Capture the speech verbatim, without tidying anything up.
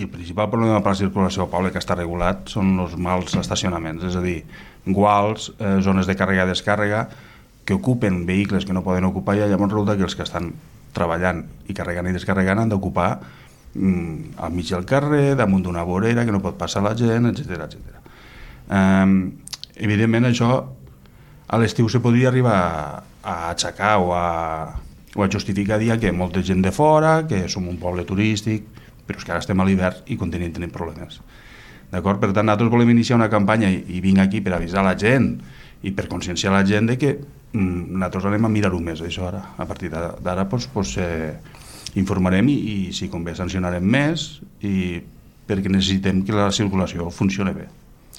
el principal problema per la circulació al poble que està regulat són els mals estacionaments, és a dir, guals, eh, zones de càrrega i descàrrega que ocupen vehicles que no poden ocupar, i llavors resulta que els que estan treballant i carregant i descarregant han d'ocupar mm, al mig del carrer, damunt d'una vorera que no pot passar la gent, etcètera, etcètera. Eh, evidentment això a l'estiu se podria arribar a aixecar o a, o a justificar dia que molta gent de fora, que som un poble turístic, però és que ara estem a l'hivern i continuem tenint problemes. D'acord? Per tant, nosaltres volem iniciar una campanya i, i vinc aquí per avisar la gent i per conscienciar la gent de que mm, nosaltres anem a mirar-ho més, això ara. A partir d'ara pues, pues, eh, informarem i, i si convé sancionarem més i perquè necessitem que la circulació funcioni bé.